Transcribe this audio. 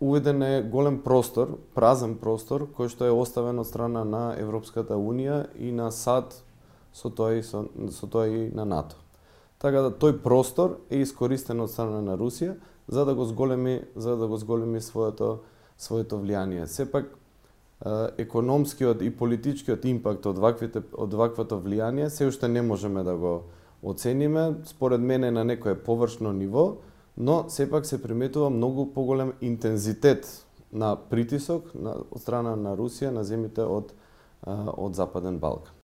уведен е голем простор, празен простор, кој што е оставен од страна на Европската Унија и на САД, со тоа и на НАТО. Така да тој простор е искористен од страна на Русија за да го зголеми своето влијание. Сепак економскиот и политичкиот импакт од ваквото влијание се уште не можеме да го оцениме. Според мене на некое површно ниво, но сепак се приметува многу поголем интензитет на притисок од страна на Русија на земјите од Западен Балкан.